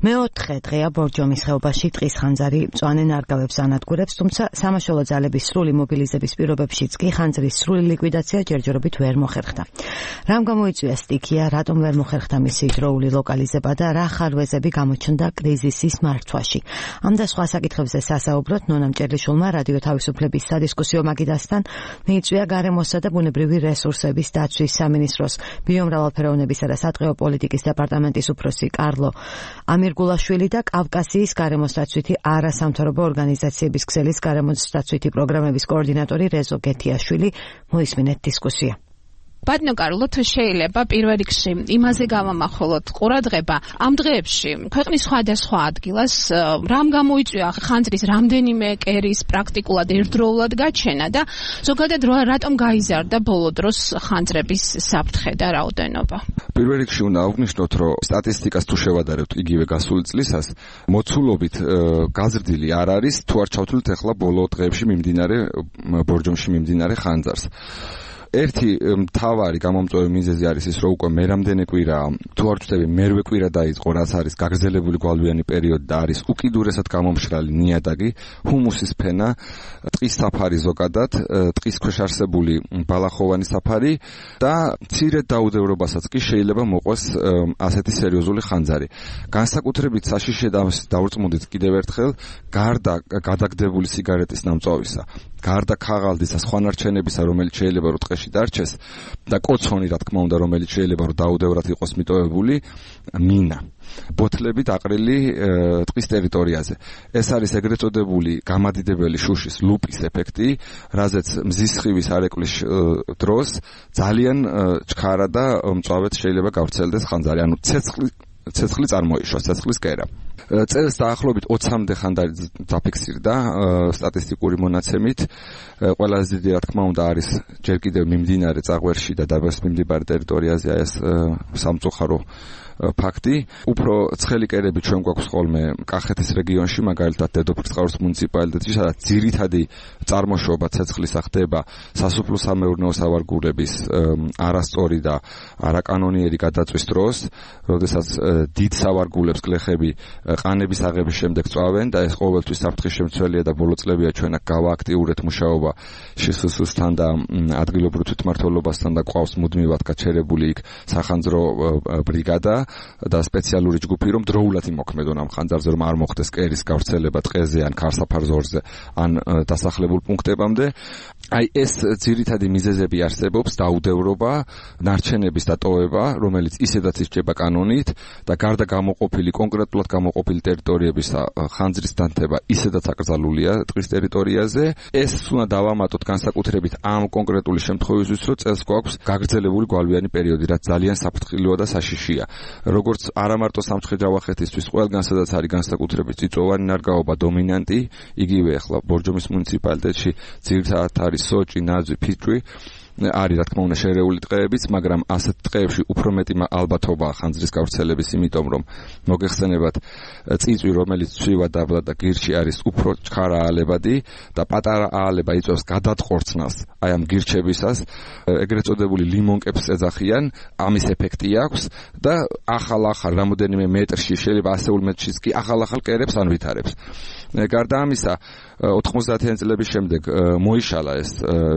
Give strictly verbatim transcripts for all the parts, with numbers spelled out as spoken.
მეოთხე დღეა ბორჯომის ხეობაში ტყის ხანძარი მწვანე ნარგავებს ანადგურებს, თუმცა სამაშველო ძალების სრული მობილიზების პირობებშიც კი ხანძრის სრული ლიკვიდაცია ჯერჯერობით ვერ მოხერხდა. რამ გამოიწვია სტიქია, რატომ ვერ მოხერხდა მისი დროული ლოკალიზება და რა ხარვეზები გამოჩნდა კრიზისის მართვაში. ამ და სხვა საკითხებზე სასაუბროთ ნონა მჭერლიშვილმა რადიო თავისუფლების სადისკუსიო მაგიდასთან მიიწვია გარემოსა და ბუნებრივი რესურსების დაცვის სამინისტროს ბიომრავალფეროვნებისა და სატყეო პოლიტიკის დეპარტამენტის უფროსი კარლო ამირგულაშვილი და კავკასიის გარემოსდაცვითი არასამთავრობო ორგანიზაციების ქსელის გარემოსდაცვითი პროგრამების კოორდინატორი რეზო გეთიაშვილი მოისმინეთ დისკუსია. ბატონო კარლო, თუ შეიძლება პირველ რიგში იმაზე გავამახვილოთ ყურადღება ამ დღეებში ქვეყნის სხვადასხვა ადგილას რამ გამოიწვია ხანძრის რამდენიმე კერის პრაქტიკულად ერთდროულად გაჩენა და ზოგადად რატომ გაიზარდა ბოლო დროს ხანძრების საფრთხე და რაოდენობა. პირველ რიგში უნდა აღვნიშნოთ, რომ სტატისტიკას თუ შევადარებთ იგივე გასული წლისას, მოცულობით გაზრდილი არ არის, თუ არ ჩავთვლით ახლა ბოლო დღეებში მიმდინარე ბორჯომში მიმდინარე ხანძარს. ერთი მთავარი გამომწვევი მიზეზი არის ის, რომ უკვე მერამდენე კვირა, თუ არ ვწდები, მერვე კვირა დაიწყო, რაც არის გაგრძელებული გვალვიანი პერიოდი და არის უკიდურესად გამომშრალი ნიადაგი, ჰუმუსის ფენა, ტყის საფარი ზოგადად, ტყის ქვეშ არსებული ბალახოვანი საფარი და მცირედ დაუდევრობასაც კი შეიძლება მოყვეს ასეთი სერიოზული ხანძარი. განსაკუთრებით საშიშე დავრწმუნდით კიდევ ერთხელ, გარდა გადაგდებული სიგარეტის ნამწვავისა, გარდა ქაღალდის და სხვა ნარჩენებისა, რომელიც შეიძლება რომ ტყეში დარჩეს და კოცონი, რა თქმა უნდა, რომელიც შეიძლება რომ დაუდევრად იყოს მიტოვებული, მინა, ბოთლები დაყრილი ტყის ტერიტორიაზე. ეს არის ეგრეთ წოდებული გამადიდებელი შუშის ლუპის ეფექტი, რაზეც მზის სხივის არეკლის დროს ძალიან ჩქარა და მწვავედ შეიძლება გავრცელდეს ხანძარი, ანუ ცეცხლი ცეცხლი წარმოიშვა, ცეცხლის კერა. წელს დაახლოებით ოცამდე ხანძარი დაფიქსირდა სტატისტიკური მონაცემით. ყველაზე დიდი, რა თქმა უნდა, არის ჯერ კიდევ მიმდინარე წაღვერში და დაბას მიმდებარე ტერიტორიაზე ეს სამწუხარო ფაქტი. უფრო ცხელი კერები ჩვენ გვაქვს ხოლმე კახეთის რეგიონში, მაგალითად დედოფლისწყაროს მუნიციპალიტეტში, სადაც ძირითადი წარმოშობა ცეცხლისა ხდება სასოფლო-სამეურნეო სავარგულების არასწორი და არაკანონიერი გადაწვის დროს, როდესაც დიდ სავარგულებს გლეხები ყანების აღების შემდეგ წვავენ და ეს ყოველთვის საფრთხის შემცველია და ბოლო წლებია ჩვენ აქ გავააქტიურეთ მუშაობა შსს-თან და ადგილობრივ თვითმმართველობასთან და ყავს მუდმივად გაჩერებული იქ სახანძრო ბრიგადა და სპეციალური ჯგუფი, რომ დროულად იმოქმედონ ამ ხანძარზე, რომ არ მოხდეს კერის გავრცელება ტყეზე ან ქარსაფარზორზე ან დასახლებულ პუნქტებამდე. აი ეს ძირითადი მიზეზები არსებობს, დაუდევრობა, ნარჩენების დატოვება, რომელიც ისედაც ისჭება კანონით და გარდა გამოყოფილი, კონკრეტულად გამოყოფილი ტერიტორიების ხანძრის დანთება ისედაც აკრძალულია ტყის ტერიტორიაზე. ეს უნდა დავამატოთ განსაკუთრებით ამ კონკრეტული შემთხვევისთვის, რომ წელს გვაქვს გაგრძელებული გვალვიანი პერიოდი, რაც ძალიან საფრთხილოა და საშიშია. როგორც არა მარტო სამცხე-ჯავახეთისთვის, ყველგან სადაც არის განსაკუთრებით წიწვოვანი ნარგავობა დომინანტი, იგივე ახლა ბორჯომის მუნიციპალიტეტში ძირითადად არის სოჭი, ნაძვი, ფიჭვი, არის რა თქმა უნდა შერეული ტყეებიც, მაგრამ ასეთ ტყეებში უფრო მეტი ალბათობაა ხანძრის გავრცელების, იმიტომ რომ მოგეხსენებათ წიწვი, რომელიც ცვივა დაბლა და გირჩი არის უფრო ჩქარა აალებადი და პატარა აალება იწვევს გადატყორცნას აი ამ გირჩებისას, ეგრეთ წოდებული ლიმონკებს ეძახიან, ამის ეფექტი აქვს და ახალ-ახალ რამოდენიმე მეტრში, შეიძლება ასეულ მეტრშიც კი ახალ-ახალ კერებს ანვითარებს. გარდა ამისა, ოთხმოცდაათიანი წლების შემდეგ მოიშალა ეს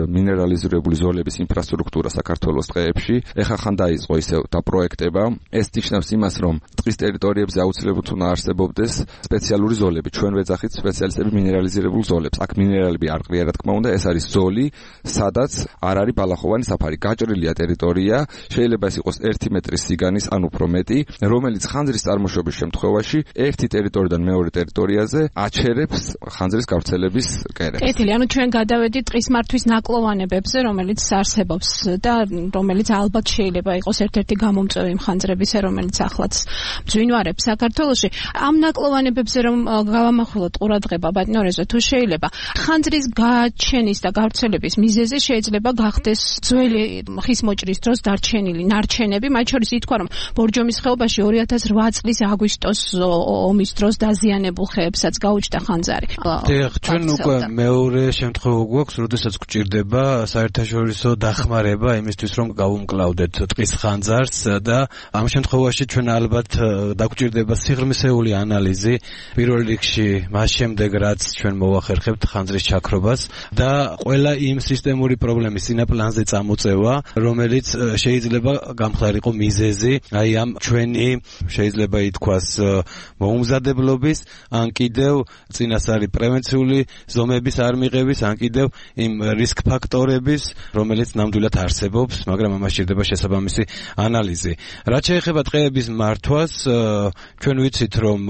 მინერალიზირებული ზოლების ინფრასტრუქტურა საქართველოს ტყეებში. ეხლა ხან დაიწყო ისევ დაპროექტება. ეს ნიშნავს იმას, რომ ტყის ტერიტორიებზე აუცილებლად უნდა არსებობდეს სპეციალური ზოლები. ჩვენ ვეძახით სპეციალისტები მინერალიზირებულ ზოლებს. აქ მინერალები არ ყრია, რა თქმა უნდა, ეს არის ზოლი, სადაც არ არის ბალახოვანი საფარი. გაჭრილია ტერიტორია, შეიძლება ეს იყოს ერთი მეტრის სიგანის ან უფრო მეტი, რომელიც ხანძრის წარმოშობის შემთხვევაში ერთი ტერიტორიიდან მეორე ტერიტორიაზე აჩერებს ხანძრის გავრცელების კერებს. კეთილი, ანუ ჩვენ გადავედით ტყის მართვის ნაკლოვანებებზე, რომელიც არსებობს და რომელიც ალბათ შეიძლება იყოს ერთ-ერთი გამომწვევი ხანძრებისა, რომელიც ახლაც მძვინვარებს საქართველოში. ამ ნაკლოვანებებზე რომ გავამახვილოთ ყურადღება, ბატონო რეზო, თუ შეიძლება, ხანძრის გაჩენის და გავრცელების მიზეზი შეიძლება გახდეს ძველი ხის მოჭრის დროს დარჩენილი ნარჩენები, მათ შორის ითქვა, რომ ბორჯომის ხეობაში ორი ათას რვა წლის აგვისტოს ომის დროს დაზიანებულ ხეებსაც გაუჩნდა და ხანძარი. დიახ, ჩვენ უკვე მეორე შემთხვევა გვაქვს, როდესაც გვჭირდება საერთაშორისო დახმარება იმისთვის, რომ გავუმკლავდეთ ტყის ხანძარს და ამ შემთხვევაში ჩვენ ალბათ დაგვჭირდება სიღრმისეული ანალიზი პირველ რიგში მას შემდეგ, რაც ჩვენ მოვახერხებთ ხანძრის ჩაქრობას და ყველა იმ სისტემური პრობლემის წინაპლანზე წამოწევა, რომელიც შეიძლება გამხდარიყო მიზეზი აი ამ ჩვენი შეიძლება ითქვას მოუმზადებლობის, ან კიდევ წინასწარი პრევენციული ზომების არ მიღების, ან კიდევ იმ რისკ ფაქტორების, რომელიც ნამდვილად არსებობს, მაგრამ ამას სჭირდება შესაბამისი ანალიზი. რაც შეეხება ტყეების მართვას, ჩვენ ვიცით, რომ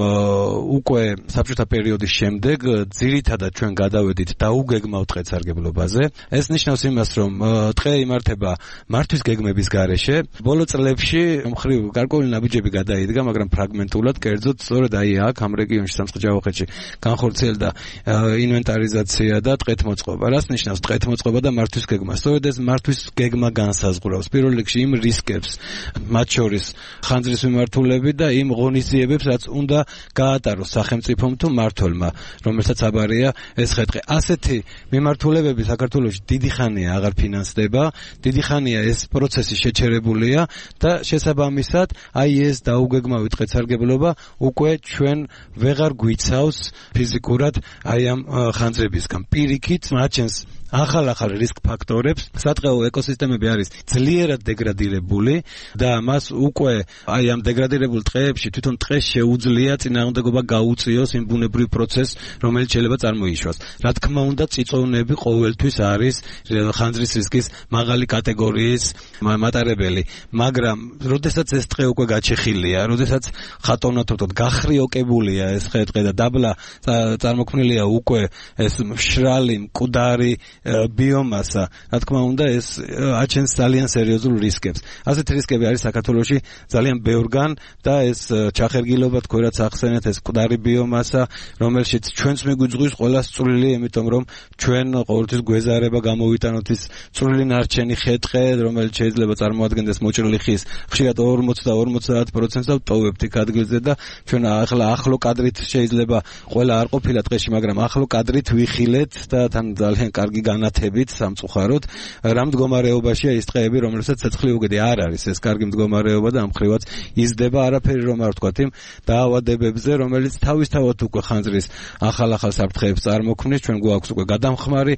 უკვე საბჭოთა პერიოდის შემდეგ ძირითადად ჩვენ გადავედით დაუგეგმავ ტყესარგებლობაზე. ეს ნიშნავს იმას, რომ ტყე იმართება მართვის გეგმების გარეშე. ბოლო წლებში მხრივ გარკვეული ნაბიჯები გადაიდგა, მაგრამ ფრაგმენტულად, კერძოდ სწორედ აი აქ ამ რეგიონში სამცხე-ჯავახეთში განხორციელდა ინვენტარიზაცია და ტყეთმოწყობა. რას ნიშნავს ტყეთმოწყობა და მართვის გეგმა? სწორედ ეს მართვის გეგმა განსაზღვრავს პირველ რიგში იმ რისკებს, მათ შორის ხანძრის მიმართულებით და იმ ღონისძიებებს, რაც უნდა გაატაროს სახელმწიფომ თუ მმართველმა, რომელსაც აბარია ეს ხეთყი. ასეთი მიმართულებები საქართველოში დიდი ხანია აღარ ფინანსდება, დიდი ხანია ეს პროცესი შეჩერებულია და შესაბამისად აი ეს დაუგეგმავი ტყესარგებლობა უკვე ჩვენ ვეღარ გვიცავს ფიზიკურად აი ამ ხანძრებისგან. პირიქით მაჩენს ახალ-ახალ რისკ ფაქტორებს, სატყეო ეკოსისტემები არის ძლიერად დეგრადირებული და მას უკვე აი ამ დეგრადირებულ ტყეებში თვითონ ტყეს შეუძლია წინააღმდეგობა გაუწიოს იმ ბუნებრივ პროცესს, რომელიც შეიძლება წარმოიშვას. რა თქმა უნდა, წიწოვნები ყოველთვის არის ხანძრის რისკის მაღალი კატეგორიის მატარებელი, მაგრამ როდესაც ეს ტყე უკვე გაჩეხილია, როდესაც ხატონათოთოდ გახრიოკებულია ეს ხე-ტყე და დაბლა წარმოქმნილია უკვე ეს მშრალი, მკვდარი ბიომასა, რა თქმა უნდა, ეს აჩენს ძალიან სერიოზულ რისკებს. ასეთი რისკები არის საქართველოში ძალიან ბევრგან და ეს ჩახერგილობა თქვენ რაც ახსენეთ, ეს მკვდარი ბიომასა, რომელშიც ჩვენც მიგვიძღვის ყველა წვრილი, იმიტომ რომ ჩვენ ყოველთვის გვეზარება გამოვიტანოთ ის წვრილი ნარჩენი ხე-ტყე, რომელიც შეიძლება წარმოადგენდეს მოჭრილი ხის ხშირად ორმოცი და ორმოცდაათ პროცენტს და ვტოვებთ იქ ადგილზე და ჩვენ ახლა ახლო კადრით შეიძლება ყველა არ ყოფილა ტყეში, მაგრამ ახლო კადრით ვიხილეთ და თან ძალიან კარგი განათებით სამწუხაროდ რა მდგომარეობაშია ის ტყეები, რომელსაც ცეცხლი უგედი არ არის ეს კარგი მდგომარეობა და ამხრივაც იზრდება არაფერი რომ არ ვთქვათ იმ დაავადებებზე, რომელიც თავისთავად უკვე ხანძრის ახალ-ახალ საფრთხეებს წარმოქმნის. ჩვენ გვაქვს უკვე გადამხმარი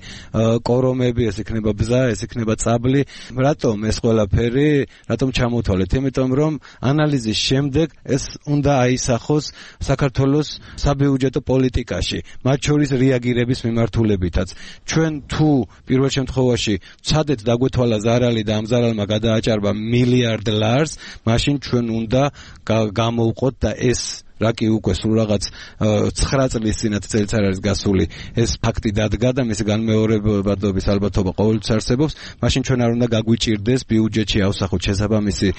კორომები, ეს იქნება ბზა, ეს იქნება წაბლი. რატომ ეს ყველაფერი, რატომ ჩამოთვალეთ? იმიტომ რომ ანალიზის შემდეგ ეს უნდა აისახოს საქართველოს საბიუჯეტო პოლიტიკაში, მათ შორის რეაგირების მიმართულებითაც. ჩვენ თუ პირველ შემთხვევაში ვცადეთ დაგვეთვალა ზარალი და ამ ზარალმა გადააჭარბა მილიარდ ლარს, მაშინ ჩვენ უნდა გამოვყოთ და ეს რაკი უკვე სულ რაღაც ცხრა წლის წინათ წელს არ არის გასული ეს ფაქტი დადგა და მისი განმეორებადობის ალბათობა ყოველთვის არსებობს, მაშინ ჩვენ არ უნდა გაგვიჭირდეს ბიუჯეტში ავსახოთ შესაბამისი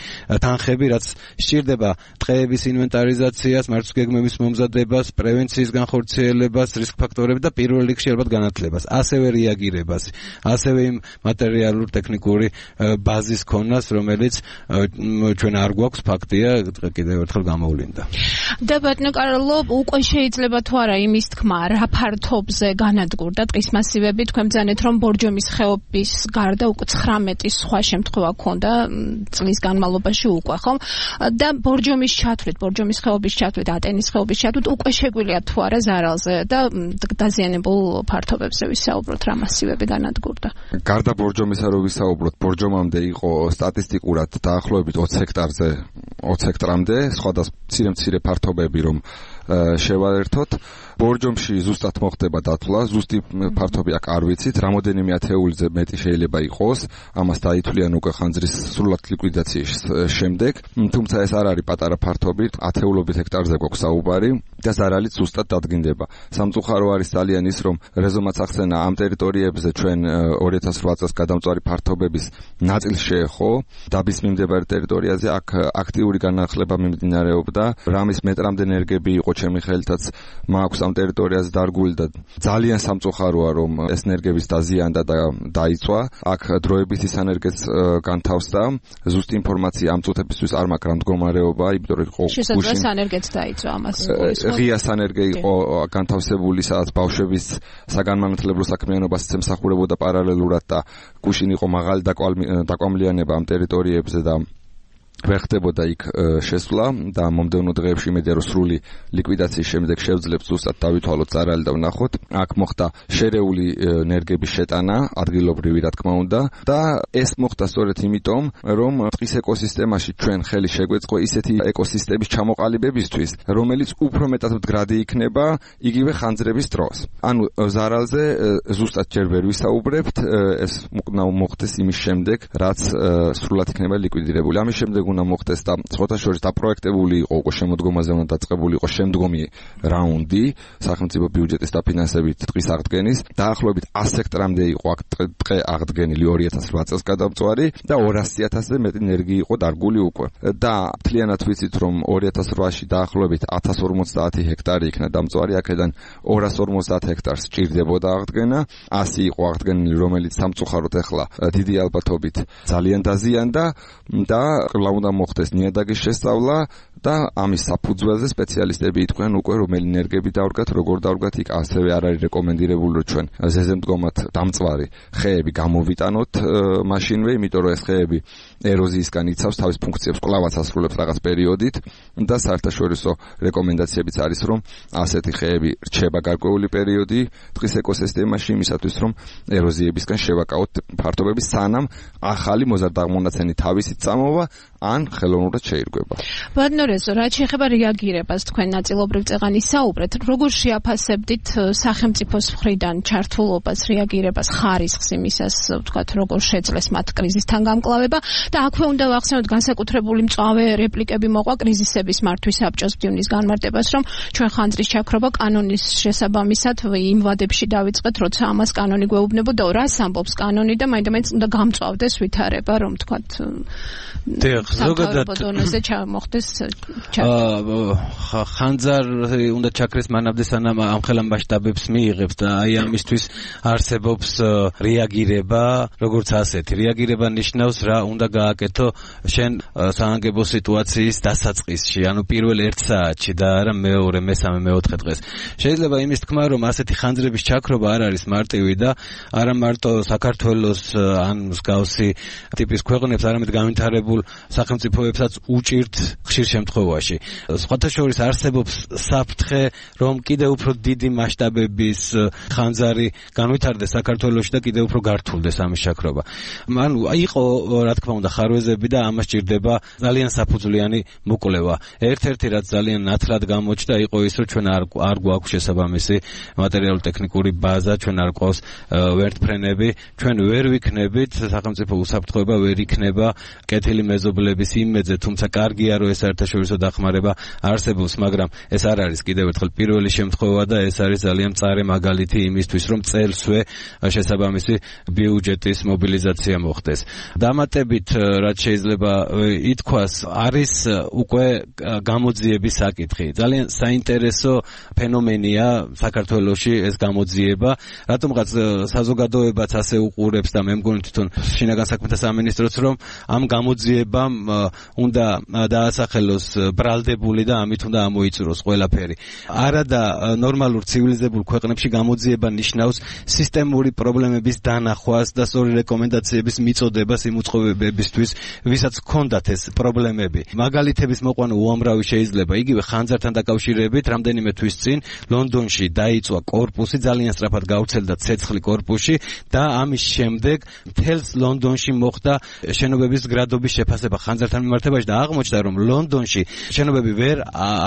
თანხები, რაც სჭირდება ტყეების ინვენტარიზაციას, მართვის გეგმების მომზადებას, პრევენციის განხორციელებას, რისკ ფაქტორები და პირველ რიგში ალბათ განათლებას, ასევე რეაგირებას, ასევე იმ მატერიალურ ტექნიკური ბაზის ქონას, რომელიც ჩვენ არ გვაქვს, ფაქტია, კიდევ ერთხელ გამოვლინდა. და ბატონო კარლო, უკვე შეიძლება თუ არა იმის თქმა, რა ფართობზე განადგურდა ტყის მასივები, თქვენ ბრძანეთ რომ ბორჯომის ხეობის გარდა უკვე ცხრამეტი სხვა შემთხვევა ქონდა წლის განმავლობაში უკვე, ხომ? და ბორჯომის ჩათვლით, ბორჯომის ხეობის ჩათვლით, ატენის ხეობის ჩათვლით უკვე შეგვიძლია თუ არა ზარალზე და დაზიანებულ ფართობებზე ვისაუბროთ, რა მასივები განადგურდა. გარდა ბორჯომისა რო ვისაუბროთ, ბორჯომამდე იყო სტატისტიკურად დაახლოებით ოცი ჰექტარზე, ოცი ჰექტრამდე, სხვადასხვა მცირე-მცირე ფართობები რომ შევაერთოთ. ბორჯომში ზუსტად მოხდება დათვლა, ზუსტი ფართობი აქ არ ვიცით, რამოდენიმე ათეულიზე მეტი შეიძლება იყოს, ამას დაითვლიან უკვე ხანძრის სრულად ლიკვიდაციის შემდეგ, თუმცა ეს არ არის პატარა ფართობი, ათეულობით ჰექტარზე გვაქვს საუბარი და ზარალიც ზუსტად დადგინდება. სამწუხარო არის ძალიან ის, რომ რეზომაც ახსენა ამ ტერიტორიებზე ჩვენ ორი ათას რვა წელს გადამწვარი ფართობების ნაწილს შეეხო, დაბის მიმდებარე ტერიტორიაზე აქ აქტიური განახლება მიმდინარეობდა, რამის მეტრამდე ენერგები იყო იყო ჩემი ხელითაც მაქვს ამ ტერიტორიაზე დარგული და ძალიან სამწუხაროა რომ ეს ენერგების დაზიანდა და დაიწვა. აქ დროებით ის ენერგიაც განთავსდა. ზუსტი ინფორმაცია ამ წუთებისთვის არ მაქვს რა მდგომარეობა, იმიტომ რომ იყო შესაძლოა ენერგიაც დაიწვა ამას. ღია ენერგია იყო განთავსებული, სადაც ბავშვების საგანმანათლებლო საქმიანობას ემსახურებოდა პარალელურად და გუშინ იყო მაღალი დაკვამლიანება ამ ტერიტორიებზე და ვერ ხდებოდა იქ შესვლა და მომდევნო დღეებში იმედია რომ სრული ლიკვიდაციის შემდეგ შევძლებთ ზუსტად დავითვალოთ წარალი და ვნახოთ. აქ მოხდა შერეული ენერგების შეტანა, ადგილობრივი რა თქმა უნდა და ეს მოხდა სწორედ იმიტომ რომ ტყის ეკოსისტემაში ჩვენ ხელი შეგვეწყო ისეთი ეკოსისტემის ჩამოყალიბებისთვის, რომელიც უფრო მეტად მდგრადი იქნება იგივე ხანძრების დროს. ანუ ზარალზე ზუსტად ჯერ ვერ ვისაუბრებთ, ეს უნდა მოხდეს იმის შემდეგ, რაც სრულად იქნება ლიკვიდირებული. ამის შემდეგ უნდა მოხდეს და სხვათა შორის დაპროექტებული იყო უკვე შემოდგომაზე უნდა დაწყებული იყო შემდგომი რაუნდი სახელმწიფო ბიუჯეტის დაფინანსებით ტყის აღდგენის. დაახლოებით ასი ჰექტარამდე იყო აქ ტყე აღდგენილი ორი ათას რვა წელს გადამწვარი და ორასი ათასზე მეტი ენერგია იყო დარგული უკვე. და მთლიანად ვიცით რომ ორი ათას რვაში დაახლოებით ათას ორმოცდაათი ჰექტარი იქნა დამწვარი, აქედან ორას ორმოცდაათ ჰექტარს სჭირდებოდა აღდგენა. ასი იყო აღდგენილი, რომელიც სამწუხაროდ ახლა დიდი ალბათობით ძალიან დაზიანდა და უნდა მოხდეს ნიადაგის შესწავლა და ამის საფუძველზე სპეციალისტები იტყვიან უკვე რომელი ენერგები დავდგათ, როგორ დავდგათ. იქ ასევე არ არის რეკომენდირებული რომ ჩვენ ზეზემდგომად დამწვარი ხეები გამოვიტანოთ მაშინვე, იმიტომ რომ ეს ხეები ეროზიისგან იცავს თავის ფუნქციებს, კვლავაც ასრულებს რაღაც პერიოდით და საერთაშორისო რეკომენდაციებიც არის რომ ასეთი ხეები რჩება გარკვეული პერიოდი ტყის ეკოსისტემაში იმისათვის რომ ეროზიებისგან შევაკავოთ ფართობები სანამ ახალი მოზარდაღმონაცენი თავისით წამოვა ან ხელოვნურად შეირგვება. ბატონორეზო, რაც შეეხება რეაგირებას თქვენ ნაწილობრივ წეღან ისაუბრეთ, როგორ შეაფასებდით სახელმწიფოს მხრიდან ჩართულობას, რეაგირებას, ხარისხს იმისას, ვთქვათ, როგორ შეძლეს მათ კრიზისთან გამკლავება და აქვე უნდა ვახსენოთ განსაკუთრებული მწვავე რეპლიკები მოყვა კრიზისების მართვის საბჭოს ბრძნის განმარტებას, რომ ჩვენ ხანძრის ჩაქრობა კანონის შესაბამისად იმ ვადებში დავიწყეთ, როცა ამას კანონი გვეუბნებოდა, რას ამბობს კანონი და მაინდა-მაინც უნდა გამწვავდეს ვითარება, რომ ვთქვათ ზოგადად ბოდონეზე ჩამოხდეს ხანძარი უნდა ჩაქრეს მანამდე სანამ ამხელა მასშტაბებს მიიღებს და აი ამისთვის არსებობს რეაგირება, როგორც ასეთი. რეაგირება ნიშნავს რა უნდა გააკეთო შენ საანგებო სიტუაციის დასაწყისში, ანუ პირველ ერთ საათში და არა მეორე, მესამე, მეოთხე დღეს. შეიძლება იმის თქმა, რომ ასეთი ხანძრების ჩაქრობა არ არის მარტივი და არა მარტო საქართველოს ან მსგავსი ტიპის ქვეყნებს, არამედ განვითარებულ სახელმწიფოებსაც უჭირთ ხშირ შემთხვევაში. სხვათა შორის არსებობს საფრთხე, რომ კიდევ უფრო დიდი მასშტაბების ხანძარი განვითარდეს საქართველოში და კიდევ უფრო გართულდეს ამის ჩაქრობა. ანუ იყო რა თქმა უნდა ხარვეზები და ამას ჭირდება ძალიან საფუძვლიანი მოკვლევა. ერთ-ერთი რაც ძალიან ნათლად გამოჩნდა იყო ის, რომ ჩვენ არ არ გვაქვს შესაბამისი მატერიალურ-ტექნიკური ბაზა, ჩვენ არ გვყავს ვერტფრენები, ჩვენ ვერ ვიქნებით, სახელმწიფო უსაფრთხოება ვერ იქნება კეთილი მეზობლების იმედზე, თუმცა კარგია რომ ეს საერთაშორისო დახმარება არსებობს, მაგრამ ეს არ არის კიდევ ერთხელ პირველი შემთხვევა და ეს არის ძალიან მწარე მაგალითი იმისთვის, რომ წელსვე შესაბამისი ბიუჯეტის მობილიზაცია მოხდეს. დამატებით, რაც შეიძლება ითქვას, არის უკვე გამოძიების საკითხი. ძალიან საინტერესო ფენომენია საქართველოში ეს გამოძიება, რატომღაც საზოგადოებაც ასე უყურებს და მე მგონი თვითონ შინაგან საქმეთა სამინისტროც რომ ამ გამოძიებამ უნდა დაასახელოს ბრალდებული და ამით უნდა ამოიწუროს ყველაფერი. არა და ნორმალურ ცივილიზებულ ქვეყნებში გამოძიება ნიშნავს სისტემური პრობლემების დანახვას და სწორი რეკომენდაციების მიწოდებას იმ უწყობებებისთვის, ვისაც ჰქონდათ ეს პრობლემები. მაგალითების მოყვანა უამრავი შეიძლება. იგივე ხანძართან დაკავშირებით რამდენიმე თვის წინ ლონდონში დაიწვა კორპუსი, ძალიან სწრაფად გავრცელდა ცეცხლი კორპუსში და ამის შემდეგ მთელს ლონდონში მოხდა შენობების გრადობის შეფასება ხანძართან მიმართებაში და აღმოჩნდა, რომ ლონდონში შენობები ვერ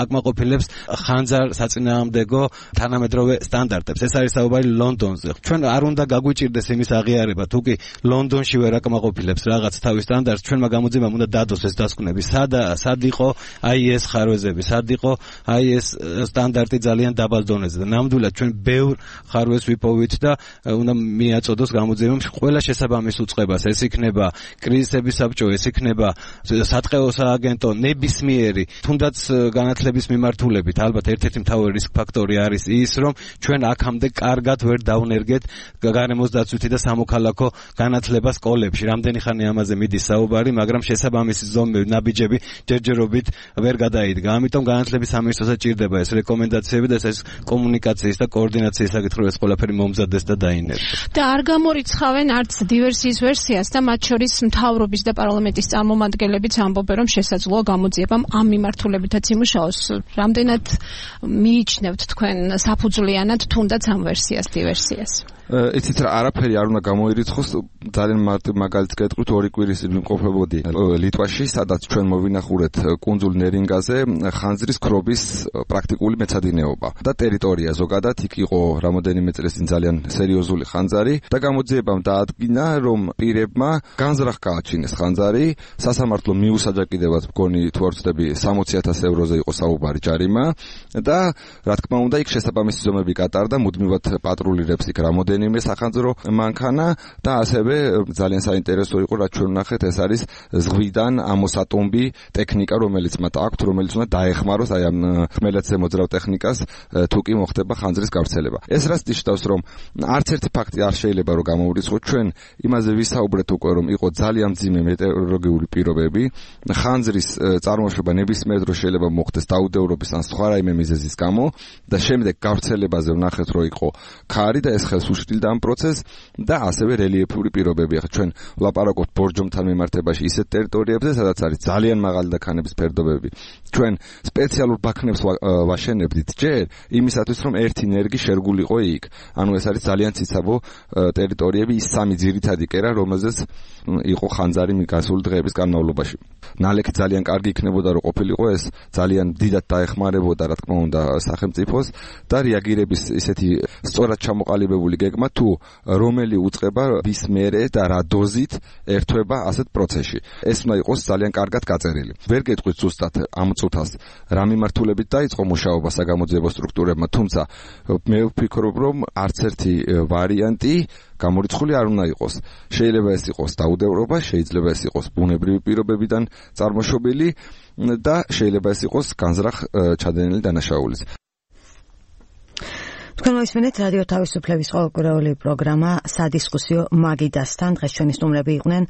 აკმაყოფილებს ხანძარ საწინააღმდეგო თანამედროვე სტანდარტებს. ეს არის საუბარი ლონდონზე. ჩვენ არ უნდა გაგვიჭირდეს იმის აღიარება, თუ კი ლონდონში ვერ აკმაყოფილებს რაღაც თავის სტანდარტს, ჩვენმა გამოძიებამ უნდა დადოს ეს დასკვნები. სად სად იყო აი ეს ხარვეზები, სად იყო აი ეს სტანდარტი ძალიან დაბალ დონეზე და ნამდვილად ჩვენ ბევრ ხარვეზს ვიპოვით და უნდა მიაწოდოს გამოძიებამ ყველა შესაბამის უწყებას. ეს იქნება კრიზისების საბჭო, ეს იქნება სატყეო სააგენტო ნებისმიერი თუნდაც განათლების მიმართულებით ალბათ ერთ-ერთი მთავარი რისკ ფაქტორი არის ის, რომ ჩვენ აქამდე კარგად ვერ დავნერგეთ გარემოს დაცვითი და სამოქალაქო განათლება სკოლებში. რამდენი ხანი ამაზე მიდის საუბარი, მაგრამ შესაბამისი ზომები, ნაბიჯები ჯერჯერობით ვერ გადაიდგა. ამიტომ განათლების სამინისტროსაც ჭირდება ეს რეკომენდაციები და ეს კომუნიკაციის და კოორდინაციის საკითხი ეს ყველაფერი მომზადდეს და დაინერგოს. და არ გამორიცხავენ არც დივერსიის ვერსიას და მათ შორის მთავრობის და პარლამენტის წარმომადგენლებიც ამბობენ, რომ შესაძლოა გამოძიებამ ამ მიმართულებითაც იმუშაოს. რამდენად მიიჩნევთ თქვენ საფუძვლიანად თუნდაც ამ ვერსიას დივერსიას? იცით რა, არაფერი არ უნდა გამოირიცხოს. ძალიან მარტივ მაგალითს გეტყვით, ორი კვირის წინ ვიმყოფებოდი ლიტვაში, სადაც ჩვენ მოვინახურეთ კუნძულ ნერინგაზე ხანძრის ქრობის პრაქტიკული მეცადინეობა და ტერიტორია ზოგადად იქ იყო რამოდენიმე წლის წინ ძალიან სერიოზული ხანძარი და გამოძიებამ დაადგინა, რომ პირებმა განზრახ გააჩინეს ხანძარი, სასამართლო მიუსაჯაკიდებად მგონი თუ არ ვცდები სამოცი ათას ევროზე იყო საუბარი ჯარიმა და რა თქმა უნდა იქ შესაბამისი ზომები გატარდა, მუდმივად პატრულირებს იქ რამოდენიმე სახანძრო მანქანა და ასევე ძალიან საინტერესო იყო რაც ჩვენ ვნახეთ, ეს არის ზღვიდან ამოსატომბი ტექნიკა, რომელიც მათ აქვთ, რომელიც უნდა დაეხმაროს აი ამ ხმელეთზე მოძრავ ტექნიკას თუ კი მოხდება ხანძრის გავრცელება. ეს რაც ნიშნავს, რომ არც ერთი ფაქტი არ შეიძლება რომ გამოვრიცხოთ. ჩვენ იმაზე ვისაუბრეთ უკვე, რომ იყო ძალიან მძიმე მეტეოროლოგიური პირობები, ხანძრის წარმოშობა ნებისმიერ დროს შეიძლება მოხდეს დაუდევრობის ან სხვა რაიმე მიზეზის გამო და შემდეგ გავრცელებაზე ვნახეთ, რომ იყო ქარი და ეს ხელს უშლიდა ამ პროცესს და ასევე რელიეფური პირობები. ახლა ჩვენ ვლაპარაკობთ ბორჯომთან მიმართებაში ისეთ ტერიტორიებზე, სადაც არის ძალიან მაღალი და ქანების ფერდობები. ჩვენ სპეციალურ ბაქნებს ვაშენებდით ჯერ იმისათვის, რომ ერთი ნერგი შერგულიყო იქ. ანუ ეს არის ძალიან ციცაბო ტერიტორიები, ის სამი ძირითადი კერა, რომელზეც იყო ხანძარი მიგასული დღეების განმავლობაში. ნალექი ძალიან კარგი იქნებოდა, რომ ყოფილიყო ეს ძალიან დიდად დაეხმარებოდა, რა თქმა უნდა, სახელმწიფოს და რეაგირების ისეთი სწორად ჩამოყალიბებული გეგმა თუ რომელი უწყება ვის მერე და რა დოზით ერთვება ასეთ პროცესში. ეს უნდა იყოს ძალიან კარგად გაწერილი. ვერ გეტყვით ზუსტად ამ წუთას რა მიმართულებით დაიწყო მუშაობა საგამოძიებო სტრუქტურებმა, თუმცა მე ვფიქრობ, რომ არც ერთი ვარიანტი გამორიცხული არ უნდა იყოს. შეიძლება ეს იყოს დაუდევრობა, შეიძლება ეს იყოს ბუნებრივი პირობებიდან წარმოშობილი და შეიძლება ეს იყოს განზრახ ჩადენილი დანაშაულიც. თქვენ მოისმენთ რადიო თავისუფლების ყოველკვირეული პროგრამა სადისკუსიო მაგიდასთან. დღეს ჩვენი სტუმრები იყვნენ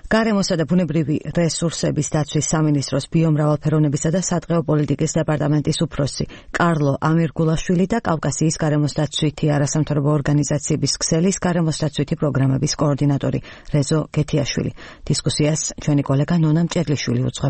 გარემოსა და ბუნებრივი რესურსების დაცვის სამინისტროს ბიომრავალფეროვნებისა და სატყეო პოლიტიკის დეპარტამენტის უფროსი კარლო ამირგულაშვილი და კავკასიის გარემოს დაცვითი არასამთავრობო ორგანიზაციების ქსელის გარემოს დაცვითი პროგრამების კოორდინატორი რეზო გეთიაშვილი. დისკუსიას ჩვენი კოლეგა ნონა მჭედლიშვილი უძღვება.